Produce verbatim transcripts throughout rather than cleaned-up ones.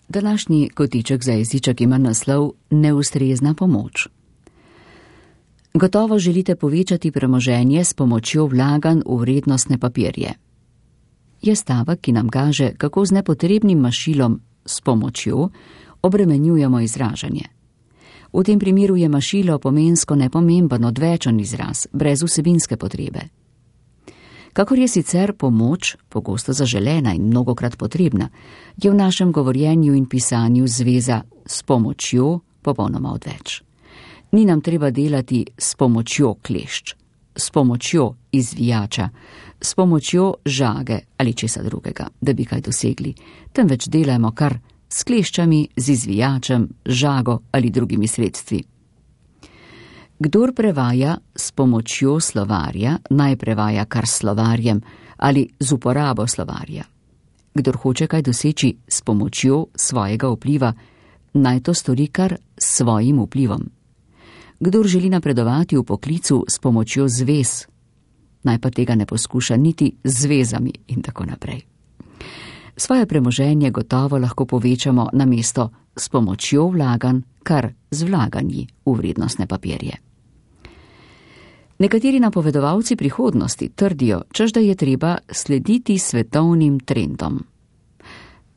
Današnji kotiček za jeziček ima naslov Neustrezna pomoč. Gotovo želite povečati premoženje s pomočjo vlaganj v vrednostne papirje. Je stavek, ki nam kaže, kako z nepotrebnim mašilom s pomočjo obremenjujemo izražanje. V tem primeru je mašilo pomensko nepomemben odvečen izraz, brez vsebinske potrebe. Kakor je sicer pomoč, pogosto zaželena in mnogokrat potrebna, je v našem govorjenju in pisanju zveza s pomočjo popolnoma odveč. Ni nam treba delati s pomočjo klešč, s pomočjo izvijača, s pomočjo žage ali česa drugega, da bi kaj dosegli, temveč delajmo kar s kleščami, z izvijačem, žago ali drugimi sredstvi. Kdor prevaja s pomočjo slovarja, naj prevaja kar s slovarjem ali z uporabo slovarja. Kdor hoče kaj doseči s pomočjo svojega vpliva, naj to stori kar s svojim vplivom. Kdor želi napredovati v poklicu s pomočjo zvez, naj pa tega ne poskuša niti z zvezami in tako naprej. Svoje premoženje gotovo lahko povečamo namesto s pomočjo vlaganj, kar z vlaganji v vrednostne papirje. Nekateri napovedovalci prihodnosti trdijo, češ da je treba slediti svetovnim trendom.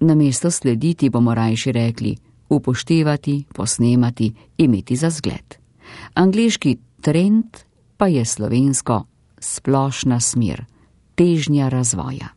Namesto slediti bomo rajši rekli upoštevati, posnemati, imeti za zgled. Angleški trend pa je slovensko splošna smer, težnja razvoja.